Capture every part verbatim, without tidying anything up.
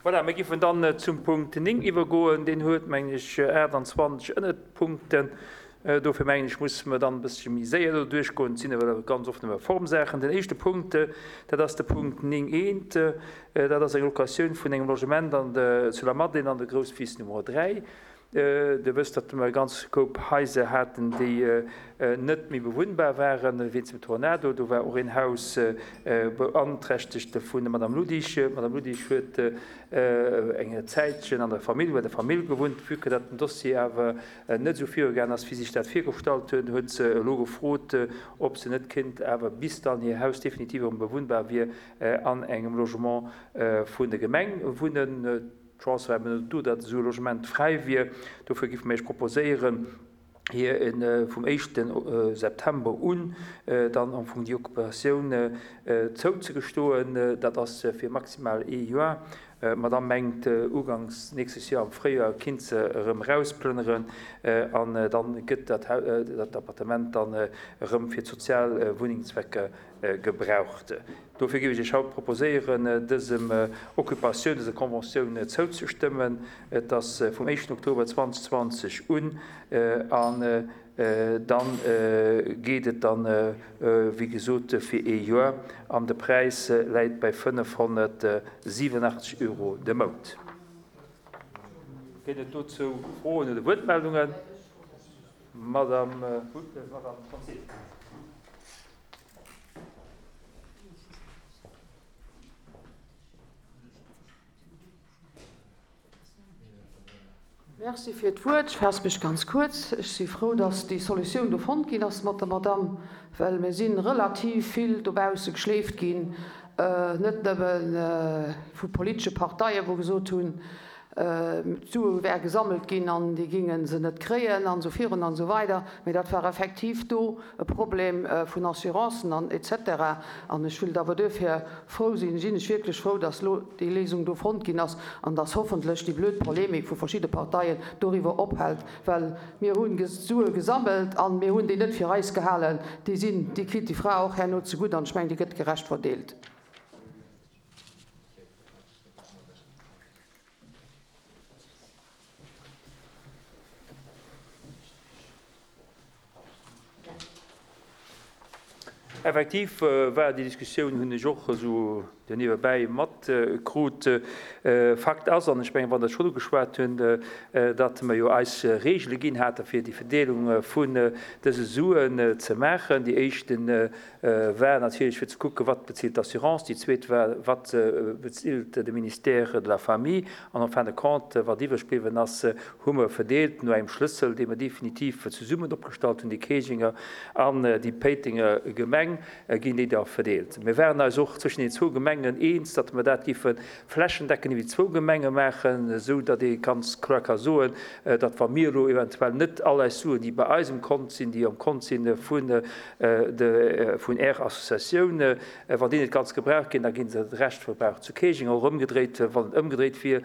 Voilà, mir giffen dann zum Punkt néng iwwergoen. Deen huet, mengen ech, aachtanzwanzeg Ënnerpunkten. Dofir mengen ech, musse mer dann e bëssche méi séier do duerchgoen. Et sinn awer ganz oft nëmme Formsaachen. Den éischte Punkt, dat ass de Punkt néng eent. Dat ass eng Locatioun vun engem Logement an de, zu Lamadelaine an der Grousswiss Nummer dräi. Dir wësst, datt mer e ganz Koup Haiser haten, déi net méi bewunnbar waren wéinst dem Tornado. Do war och een Haus beanträchtegt vun der Madame Ludig. D'Madame Ludig huet eng Zäitchen an der Famill, bei der Famill gewunnt. Vue que datt den Dossier awer net esou virugaangen ass, wéi si sech dat virgestallt huet, huet se elo gefrot, ob se net kéint awer, bis dann hir Haus definitiv erëm bewunnbar wier, an engem Logement vun der Gemeng wunnen. D'Chance war eben net do, datt esou e Logement fräi wier. Dofir géife mir Iech proposéieren, hir vum éischte September un dann am Fong déi Occupatioun zouzegestoen. Dat ass fir maximal ee Joer. D'Madame mengt, uganks nächstes Joer am Fréijoer kinnt se erëm erausplënneren an dann gëtt dat Appartement dann erëm fir d'sozial Wunnengszwecker gebraucht. Dofir géif ech Iech haut proposéieren, dësem Occupatioun, dëser Conventioun zouzestëmmen. Et ass vum éischten Oktober zweitausendzwanzeg un an da geet et dann, wéi gesot, fir ee Joer an de Präis läit bei fënnefhonnertsiwenachtzeg Euro de Mount. Gëtt et dozou Froen oder Wuertmeldungen? Madame Conzemius. Merci fir d'Wuert. Ech faasse mech ganz kuerz. Ech si frou, dass déi Solutioun do fonnt ginn ass mat der Madamm, well mir si relativ vill dobausse geschleeft ginn, net nëmme vu politesche Parteien, wou gesot hunn, d'Sue wäre gesammelt ginn an déi géinge se net kréien an esou virun an esou weider, mee dat war effektiv do e Problem vun Assurancen an et cetera. An ech wëllt awer duerfir frou sinn, sinn ech wierklech frou, dass elo déi Léisung do fonnt ginn ass an dass hoffentlech déi blöd Polemik vu verschidde Parteien doriwwer ophält, well mir hunn Sue gesammelt an mir hunn déi net fir eis gehalen. Déi sinn, déi kritt déi Fra och herno zegutt an ech mengen, déi gëtt gerecht verdeelt. Effektiv war déi Diskussioun, hunn ech och esou niewebäi matkrut. Fakt ass, an ech mengen, wann Der et schonn ugeschwat hunn, datt mer jo eis Regele ginn hate fir déi Verdeelung vun dëse Suen ze maachen. Déi éischte war natierlech fir ze kucken, wat bezilt d'Assurance, déi zweet war, wat bezilt de Ministère de la Famille, an en fin de compte, wat iwwreg bliwwen ass, hu mer verdeelt no engem Schlëssel, dee mer definitiv zesummen opgestallt hunn, déi Keejinger an déi Péitenger Gemeng ginn déi da verdeelt. Mir waren eis och zwëschen den zwou Gemengen eens, datt mer dat géife flächendeckend iwwer déi zwou Gemenge maachen, esou datt ee ganz kloer ka soen, datt wa mir elo eventuell net all eis Suen, déi bei eis um Kont sinn, déi am Kont si vun de vun Är Associatioun, wann déi net ganz gebraucht ginn, da gi se de Rescht verbraucht zu Keejing. Och ëmgedréit, wann et ëmgedréit wier,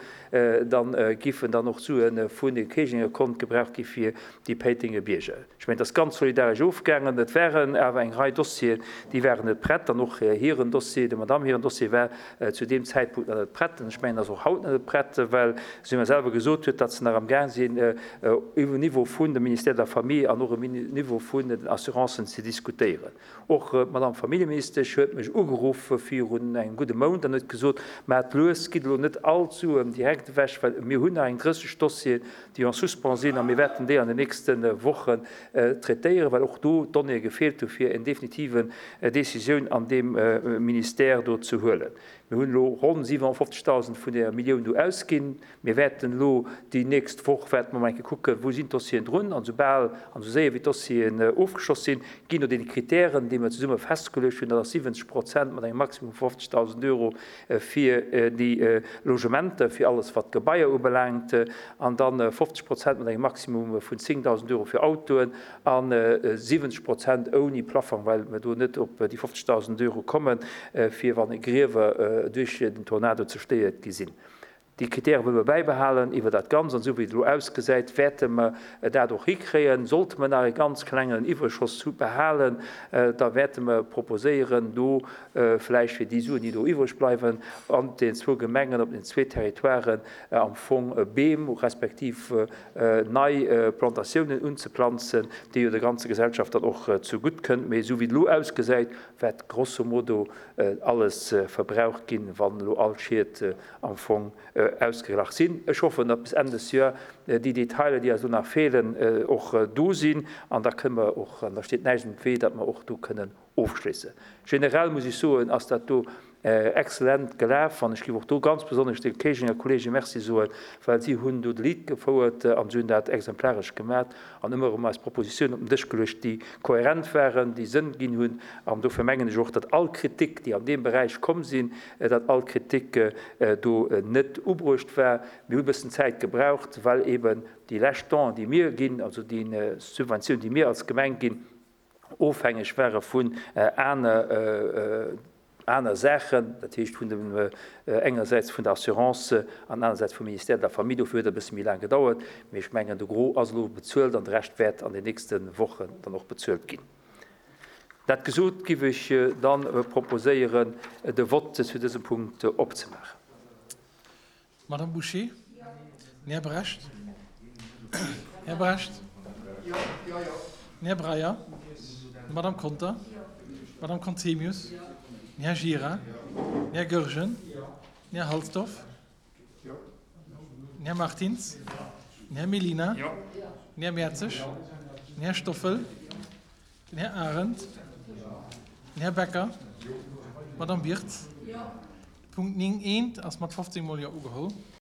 da giffen dann och d'Sue vun de Keejinger Kont gebraucht gi fir déi Péitenger Bierger. Ech mengen, et ass ganz solidaresch ofgaangen. Et waren awer eng Rei Dossieren, déi waren net prett. An och hiren Dossier, der Madamm hiren Dossier war zu deem Zäitpunkt nach net prett. An ech mengen, en ass och haut nach net prett, well si mer selwer gesot huet, datt se nach amgaang sinn, um Niveau vun dem Ministère de la Famille an och um Niveau vun den Assurancen ze diskutéieren. Och d'Madame Familljeministesch huet mech ugeruff virun engem gudde Mount an huet gesot, Maacht lues, gitt elo net all d'Suen direkt ewech, well mir hunn nach eng drësseg Dossieren, déi en suspens sinn a mir wäerten déi an den nächste Wochen traitéieren, well och do d'Donnéeë gefeelt hu fir eng definitive Décisioun an deem Ministère do ze huelen. Mir hunn elo ronn siwenhonnertfofzegdausend vun där Millioun do ausginn. Mir wäerten elo déi nächst Woch wäerte mer mol eng Kéier kucken, wou sinn d'Dossieren drun. An esoubal an esou séier wéi d'Dossieren ofgeschloss sinn, ginn no deene Kritären, déi mer zesumme festgeluecht hunn, dat ass siwwenzeg Prozent mat engem Maximum vu fofzegdausend Euro fir déi Logementer, fir alles wat d'Gebaier ubelaangt, an da fofzeg Prozent mat engem Maximum vun zéngdausend Euro fir Autoen a siwwenzeg Prozent ouni Plafong, well mer do net op déi fofzegdausend Euro kommen, fir wann Griewer duerch den Tornado zerstéiert gi sinn. Déi Kritäre wëlle mer bäibehalen iwwer dat Ganzt. An esou wéi et elo ausgesäit, wäerte mer dat och hikréien. Sollte mer nach e ganz klengen Iwwerschoss behalen, da wäerte mer proposéieren, do vläicht fir déi Suen, déi do iwwreg bleiwen, an den zwou Gemengen, op den zwee Territoiren am Fong Beem respektiv nei Plantatiounen unzeplanzen, déi jo der ganzer Gesellschaft dann och zegutt kënnt. Mee esou wéi et elo ausgesäit, wäert grosso modo alles verbraucht ginn, wann elo all Schied am Fong ausgeglach sinn. Ech hoffen, datt bis Enn des Joer déi Detailer, déi eis elo nach feelen, och do sinn an da kënne mer och, an da steet näischt am Wee, datt mer och do kënnen ofschléissen. Generell muss ech soen, ass dat do exzellent gelaf an ech géif och do ganz besonnesch de Kéisenger Kollege Merci soen, well si hunn do de Lead gefouert an si hunn dat exemplaresch gemat an ëmmer erëm eis Propositiounen op den Dësch geluecht, déi kohärent waren, déi Sënn ginn hunn. An dofir mengen ech och, datt all Kritik, déi an deem Beräich komm sinn, datt all Kritik do net ubruecht war. Mir hu e bëssen Zäit gebraucht, well eben déi lescht Donen, déi mir ginn, also déi Subventioun, déi mir als Gemeng ginn, ofhängeg ware vun aner aner Saachen, dat heescht vun dem engersäits vun der Assurance an anersäits vum Ministère de la Famille. Dofir huet et e bësse méi laang gedauert, mee ech mengen, de Gros ass elo bezuelt an de Rescht wäert an den nächste Wochen dann och bezuelt ginn. Dat gesot, giff ech dann proposéieren, de Vote zu dësem Punkt opzemaachen. Madame Bouché? Den Här Brecht? Här Brecht? Den Här Breyer? D'Madame Conter? D'Madame Conzemius? Den Här Gira? Den Här Goergen? Den Här Halsdorf? Den Här Martins? Den Här Mellina? Den Här Mertzig? Den Här Stoffel? Den Här Arendt? Den Här Becker? D'Madame Wirtz? De Punkt néng eent ass mat fofzéng mol Jo ugeholl.